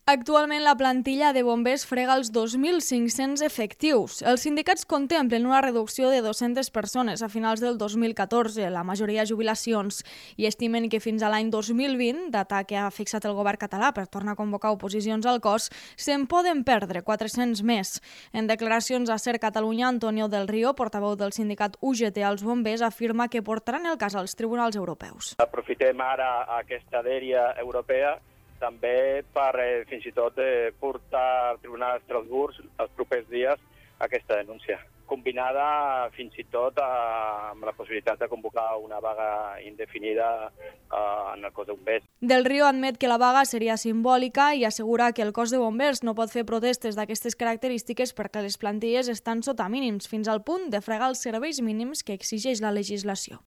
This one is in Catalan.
Actualment la plantilla de bombers frega els 2.500 efectius. Els sindicats contemplen una reducció de 200 persones a finals del 2014, la majoria jubilacions, i estimen que fins a l'any 2020, data que ha fixat el govern català per tornar a convocar oposicions al cos, se'n poden perdre 400 més. En declaracions a Ser Catalunya, Antonio del Río, portaveu del sindicat UGT als bombers, afirma que portaran el cas als tribunals europeus. Aprofitem ara aquesta dèria europea també per fins i tot portar al Tribunal d'Estrasburg els propers dies aquesta denúncia, combinada fins i tot amb la possibilitat de convocar una vaga indefinida en el cos de bombers. Del Río admet que la vaga seria simbòlica i assegura que el cos de bombers no pot fer protestes d'aquestes característiques perquè les plantilles estan sota mínims, fins al punt de fregar els serveis mínims que exigeix la legislació.